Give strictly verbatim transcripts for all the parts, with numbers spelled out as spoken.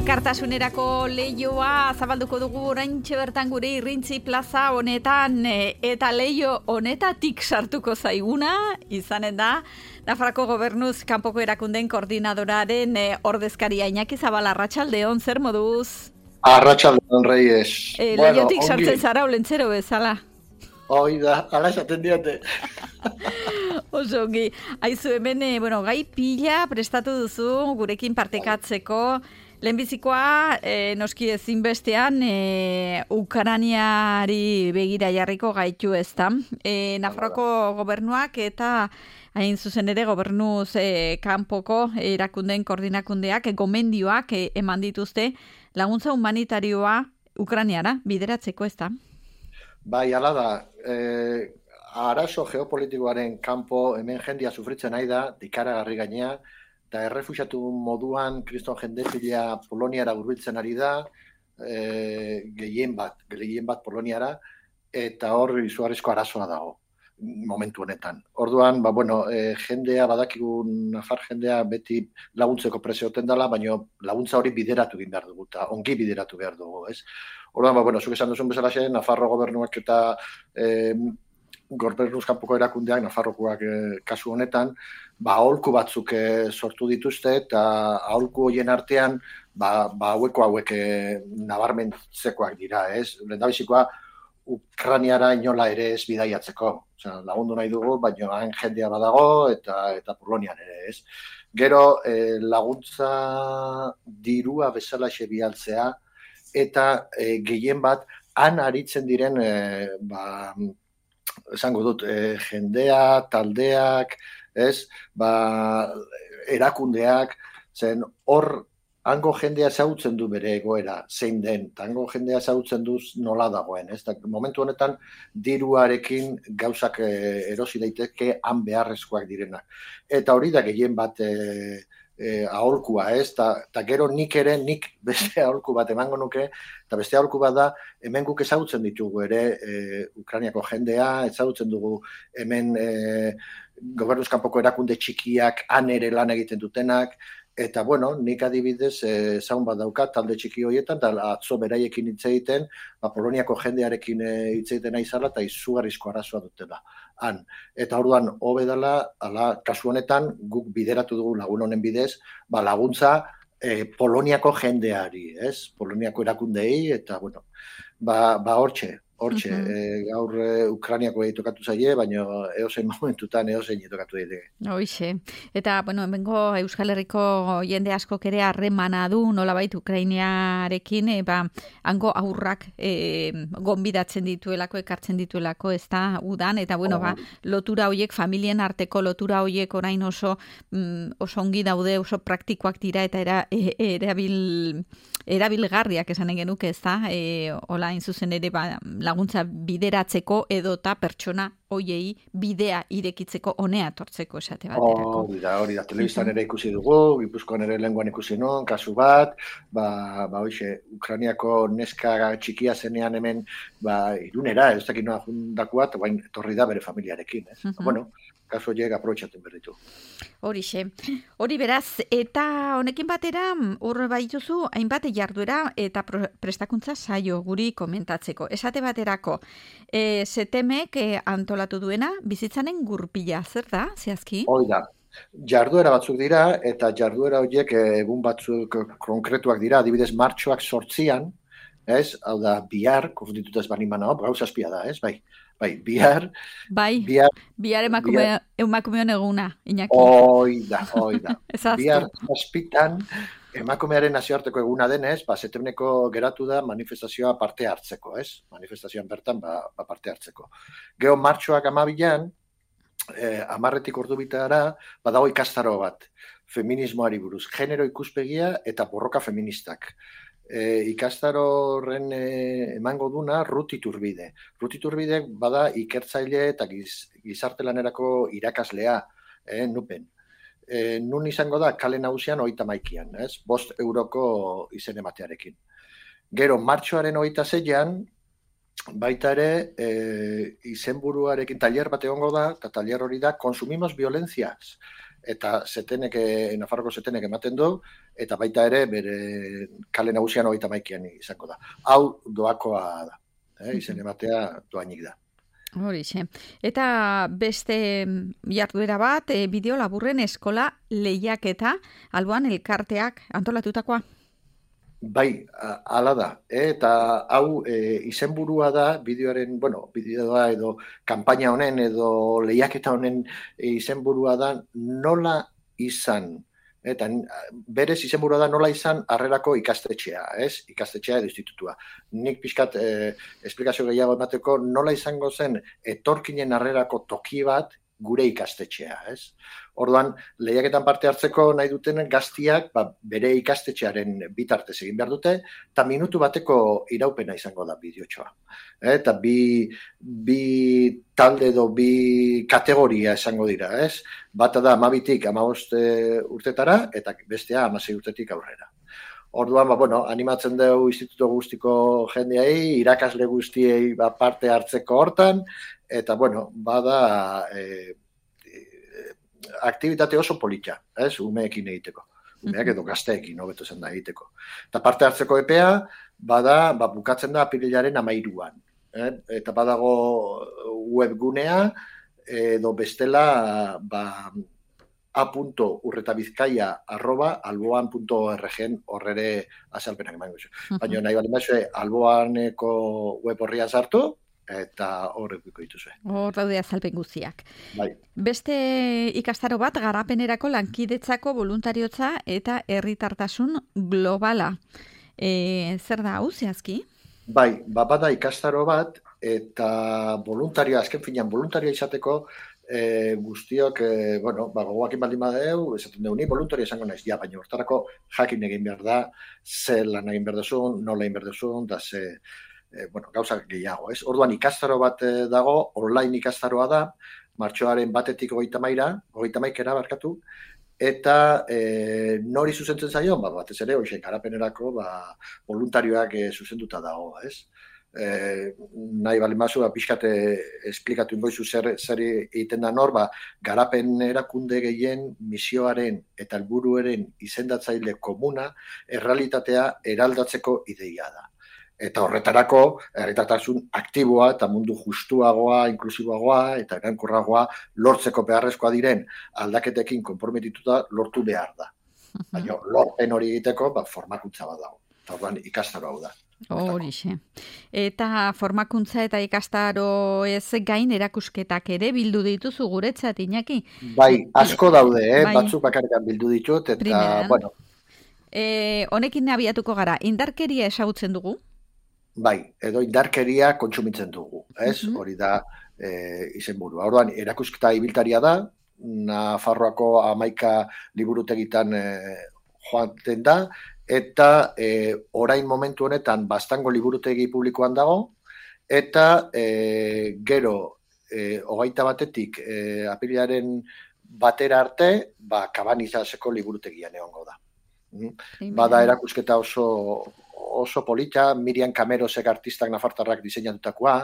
Elkartasunerako leioa zabalduko dugu oraintxe bertan gure Irrintzi plaza honetan eta leio honetatik sartuko zaiguna izanen da Nafarroako Gobernuz kanpoko erakundeen koordinadoraren ordezkaria Iñaki Zabala. Arratsaldeon, zer moduz? Arratsaldeon, Reyes. E, bueno, leiotik sartzen zara olentzero bezala. Hoi da, ala esaten diote. Oso ongi. Aizu hemen, bueno, gai pila prestatu duzu gurekin partekatzeko. Lehenbizikoa, e, noski ezinbestean, e, Ukrainiari begira jarriko gaitu ez da. E, Nafarroako gobernuak eta hain zuzen ere gobernuz e, kanpoko erakundeen koordinakundeak, e, gomendioak e, eman dituzte laguntza humanitarioa Ukrainiara bideratzeko ez da. Bai, ala da, e, arazo geopolitikoaren kanpo hemen jendia sufritzen nahi da, dikaragarri gainea, eta errefuxiatu moduan kriston jende pila Poloniara hurbiltzen ari da, e, gehien bat, gehien bat Poloniara, eta hor izugarrizko arazoa dago momentu honetan. Orduan, ba, bueno, e, jendea, badakigu Nafar jendea beti laguntzeko presioten dela, baina laguntza hori bideratu egin behar dugu, eta ongi bideratu behar dugu, ez? Orduan, ba, bueno, zuk esan duzun bezala zen, Nafarro gobernuak eta e, Gobernuz kanpoko erakundeak, Nafarrokoak e, kasu honetan, ba, aholku batzuk e, sortu dituzte, eta aholku horien artean, ba, ba haueko hauek e, nabarmentzekoak dira, ez? Lehendabizikoa, Ukrainiara inola ere ez bidaiatzeko. Osea, lagundu nahi dugu, baina han jendea badago, eta eta Polonian ere, ez? Gero, e, laguntza dirua bezalaxe bialtzea, eta e, gehien bat, han aritzen diren, e, ba, esango dut, e, jendea, taldeak, ez, ba, erakundeak, zen hor, hango jendea ezagutzen du bere egoera, zein den, eta hango jendea ezagutzen du nola dagoen, ez, da, momentu honetan, diruarekin gauzak e, erosi daiteke han beharrezkoak direnak. Eta hori da gehien bat e, e, aholkua, ez, eta gero nik ere, nik beste aholku bat emango nuke, eta beste aholku bat da, hemen guk ezagutzen ditugu ere e, Ukrainiako jendea, ezagutzen dugu hemen e, Gobernuz kanpoko erakunde txikiak han ere lan egiten dutenak, eta bueno, nik adibidez e, zaun bat daukat talde txiki horietan, eta atzo beraiekin hitz egiten, ba, Poloniako jendearekin hitz egiten nahi zala, eta izugarrizko arazoa dutela. Han. Eta orduan, hobe dela, ala, kasu honetan, guk bideratu dugu lagun honen bidez, ba, laguntza e, Poloniako jendeari, ez? Poloniako erakundeei, eta bueno, ba, ba hortxe, hortxe, uh-huh. e, gaur e, Ukrainiako tokatu zaie, baina eozein momentutan eozein tokatu daiteke. Hoixe. Eta, bueno, hemengo Euskal Herriko jende askok ere harremana du, nolabait Ukrainiarekin, e, ba, hango aurrak e, gonbidatzen dituelako, ekartzen dituelako, ez da, udan, eta, bueno, oh. ba, lotura hoiek, familien arteko lotura hoiek orain oso, mm, oso ongi daude, oso praktikoak dira, eta era, e, erabil, erabilgarriak esanen genuke, ez da, e, hola, inzuzen ere, ba, laguntza bideratzeko edota pertsona hoiei bidea irekitzeko honea tortzeko esate baterako. Hori da, hori da, telebistan ere ikusi dugu, Gipuzkoan ere lenguan ikusi nuen, kasu bat, ba, ba hoxe, Ukrainiako neska txikia zenean hemen, ba, irunera, ez dakit noa jundakoa, eta bain etorri da bere familiarekin, ez? Uh-huh. Bueno, kasu horiek aprobetxatzen berritu. Horixe. Hori beraz, eta honekin batera, hor baituzu, hainbat jarduera eta prestakuntza saio guri komentatzeko. Esate baterako, e, setemek e, antolatu duena, bizitzanen gurpila, zer da, zehazki? Hoi da. Jarduera batzuk dira, eta jarduera horiek egun batzuk konkretuak dira, adibidez martxoak sortzian, ez? Hau da, bihar, konfundituta ez bani mana, gauza azpia da, ez? Bai. Bai, bihar... Bai, bihar, bihar emakume, bihar, emakumeon eguna, Iñaki. Hoi da, hoi da. Bihar zazpitan, emakumearen nazioarteko eguna denez, ba, setemneko geratu da manifestazioa parte hartzeko, ez? Manifestazioan bertan, ba, ba parte hartzeko. Gero martxoak amabilan, eh, amarretik ordu bitara, badago ikastaro bat, feminismoari buruz, genero ikuspegia eta borroka feministak. E, ikastaro horren e, emango duna Ruth Iturbide. Ruth Iturbide bada ikertzaile eta giz, gizarte lanerako irakaslea, e, nupen. E, nun izango da kale nagusian hogeita hamaikian, ez? Bost euroko izen ematearekin. Gero, martxoaren hogeita seian, baita ere, e, izenburuarekin tailer bat egongo da, eta tailer hori da, consumimos violencias. eta zetenek, Nafarroko zetenek ematen du, eta baita ere bere kale nagusian hogeita hamaikaan izango da. Hau doakoa da, eh? Izen ematea doainik da. Horixe. Eta beste jarduera bat, e, bideo laburren eskola lehiaketa, alboan elkarteak antolatutakoa? Bai, hala da. Eta hau e, izenburua da bideoaren, bueno, bideoa edo kanpaina honen edo lehiaketa honen izenburua da nola izan. Eta berez izenburua da nola izan harrerako ikastetxea, ez? Ikastetxea edo institutua. Nik pixkat eh, esplikazio gehiago emateko nola izango zen etorkinen harrerako toki bat gure ikastetxea, ez? Orduan, lehiaketan parte hartzeko nahi duten gaztiak ba, bere ikastetxearen bitartez egin behar dute, eta minutu bateko iraupena izango da bideotxoa. Eta bi, bi talde edo bi kategoria esango dira, ez? Bata da hamabitik hamabost urtetara, eta bestea hamasei urtetik aurrera. Orduan, ba, bueno, animatzen dugu instituto guztiko jendeai, irakasle guztiei ba, parte hartzeko hortan, eta, bueno, bada e, e, aktivitate oso polita, ez, umeekin egiteko. Umeak edo gazteekin, hobeto zen da egiteko. Eta parte hartzeko epea, bada, ba, bukatzen da apirilaren hamairuan. Eh? Eta badago webgunea, edo bestela, ba, a.urretabizkaia arroba alboan.org horrere azalpenak emango zu. Baina nahi bali maizue, alboaneko web horria sartu, eta horrek biko dituzue. Hor daude azalpen guztiak. Bai. Beste ikastaro bat, garapenerako lankidetzako voluntariotza eta herritartasun globala. E, zer da hau, zehazki? Bai, bada ikastaro bat, eta voluntarioa, azken finean, voluntarioa izateko, E, guztiok, e, bueno, ba, gogoakin baldin badeu, esaten dugu, ni voluntario esango naiz, ja, baina hortarako jakin egin behar da, ze lan egin behar duzun, nola egin behar duzun, da ze, e, bueno, gauzak gehiago, ez? Orduan ikastaro bat dago, online ikastaroa da, martxoaren batetik hogeita maira, hogeita maikera barkatu, eta e, nori zuzentzen zaio, ba, batez ere, hoxe, garapenerako, ba, voluntarioak e, zuzenduta dago, ez? Eh, nahi bali mazu, pixkate esplikatu ingoizu zer, zer egiten da nor, ba, garapen erakunde gehien misioaren eta helburuaren izendatzaile komuna errealitatea eraldatzeko ideia da. Eta horretarako, herritartasun aktiboa eta mundu justuagoa, inklusiboagoa eta erankorragoa lortzeko beharrezkoa diren aldaketekin konprometituta lortu behar da. Baina lorpen hori egiteko, ba, formakuntza bat dago. Eta orduan ikastaro hau da. Horixe. Eta formakuntza eta ikastaro ez gain erakusketak ere bildu dituzu guretzat, Iñaki? Bai, asko daude, eh? Bai. Batzuk bakarrikan bildu ditut, eta, Primeran. Bueno. E, honekin abiatuko gara, indarkeria ezagutzen dugu? Bai, edo indarkeria kontsumitzen dugu, ez? Uh-huh. Hori da e, izenburua. Orduan, erakusketa ibiltaria da, Nafarroako hamaika liburutegitan e, joaten da, eta e, orain momentu honetan bastango liburutegi publikoan dago, eta e, gero e, hogeita batetik e, apirilaren batera arte, ba, Kabanizaseko liburutegian egongo da. Mm? Bada erakusketa oso, oso polita, Miriam Camerosek artistak nafartarrak diseinatutakoa,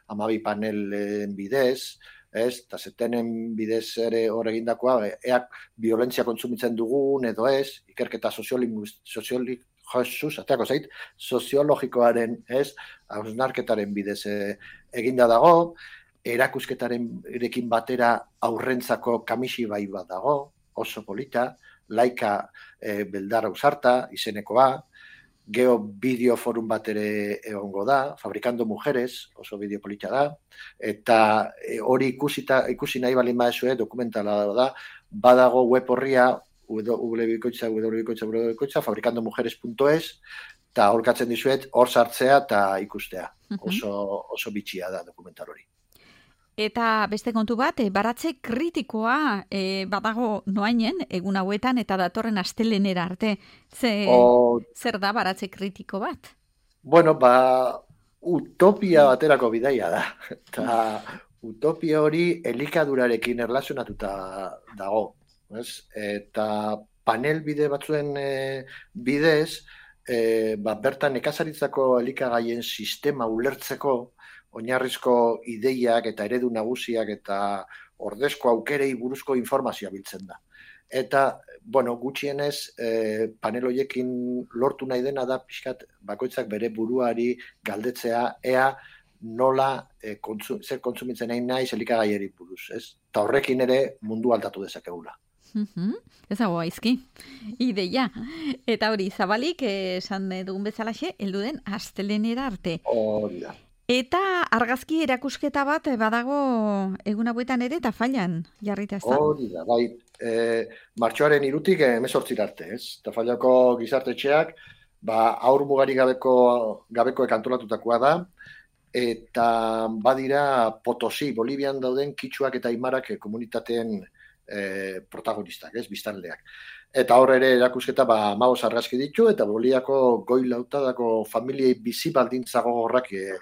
hamabi panelen bidez, ez, eta zetenen bidez ere hor egindakoa, eak violentzia kontsumitzen dugun edo ez, ikerketa soziologikoaren, ateako zait, soziologikoaren, ez, hausnarketaren bidez e, eginda dago, erakusketaren erekin batera aurrentzako kamisi bai bat dago, oso polita, laika e, beldar ausarta, izenekoa, Geo bideo forum bat ere egongo da, Fabricando Mujeres, oso bideo polita da, eta hori ikusita, ikusi nahi balin badezue, dokumentala da, badago web horria, www.bikoitza, www.bikoitza, www.bikoitza, fabricandomujeres punto es, eta horkatzen dizuet, hor sartzea eta ikustea. Oso, oso bitxia da dokumental hori. Eta beste kontu bat, e, baratze kritikoa e, badago noainen, egun hauetan, eta datorren astelenera arte. Ze, o... Zer da baratze kritiko bat? Bueno, ba, utopia baterako bidaia da. Eta utopia hori elikadurarekin erlazionatuta dago. Ez? Eta panel bide batzuen e, bidez, e, ba, bertan nekazaritzako elikagaien sistema ulertzeko, oinarrizko ideiak eta eredu nagusiak eta ordezko aukerei buruzko informazioa biltzen da. eta, bueno, gutxienez, e, panel horiekin lortu nahi dena da, pixkat, bakoitzak bere buruari galdetzea, ea nola e, kontzu, zer kontsumitzen nahi nahi elikagaiari buruz, ez? Eta horrekin ere mundu aldatu dezakegula. Mm-hmm. Ez dago aizki, ideia. Eta hori, zabalik, esan dugun bezalaxe, heldu den astelehenera arte. Hori da. Eta argazki erakusketa bat badago egun hauetan ere eta Tafallan jarrita ez da. Hori da, bai, e, martxoaren irutik hemezortzira arte, ez? Tafallako gizartetxeak, ba, aur mugari gabeko, gabekoek antolatutakoa da, eta badira Potosi, Bolivian dauden kitxuak eta aimarak komunitateen E, protagonistak, ez, biztanleak. Eta hor ere erakusketa ba hamabost argazki ditu eta Boliako goi lautadako familiei bizi baldintza gogorrak e,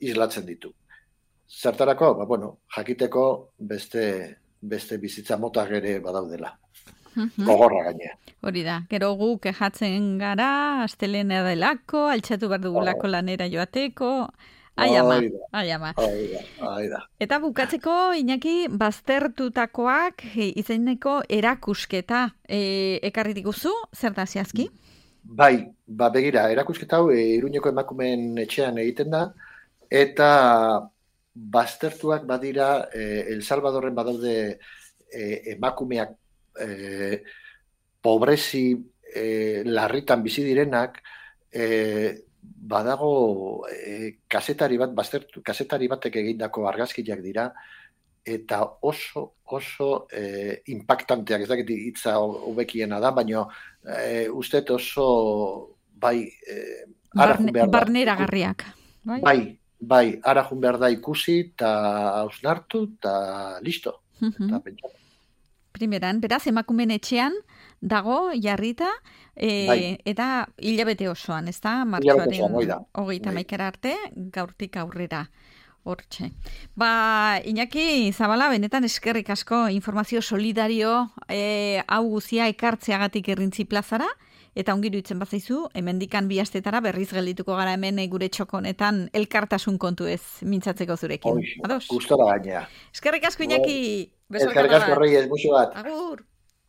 islatzen ditu. Zertarako, ba bueno, jakiteko beste beste bizitza motak ere badaudela. Mm-hmm. Gogorra gainea. Hori da, gero gu kejatzen gara, astelena delako, altxatu behar dugulako oh. lanera joateko. Ai ama, ai ama. Eta bukatzeko, Iñaki, baztertutakoak izeneko erakusketa e, ekarri diguzu, zer da zehazki? Bai, ba begira, erakusketa hau e, Iruñeko emakumeen etxean egiten da, eta baztertuak badira e, El Salvadorren badaude e, emakumeak e, pobrezi e, larritan bizi direnak, e, badago e, kasetari bat, baztertu, kasetari batek egindako argazkiak dira, eta oso, oso e, impactanteak, ez dakit hitza hobekiena da, baina e, uste oso, bai, e, Barne, barneragarriak. Bai, bai, bai arajun behar da ikusi, eta hausnartu, eta listo. Uh-huh. Eta pentsatu. Primeran, beraz, emakumen etxean dago jarrita, e, bai. Eta hilabete osoan, ez da? Martxoaren hogeita hamaikara arte, gaurtik aurrera. Hortxe. Ba, Iñaki Zabala, benetan eskerrik asko informazio solidario e, hau guzia ekartzeagatik Errintzi plazara, eta ongiru itzen bazaizu, hemendikan bi astetara berriz geldituko gara hemen gure txoko honetan elkartasun kontu ez mintzatzeko zurekin. Gustora gainea. Eskerrik asko, Iñaki. Eskerrik asko, Reyes, muxo bat. Agur.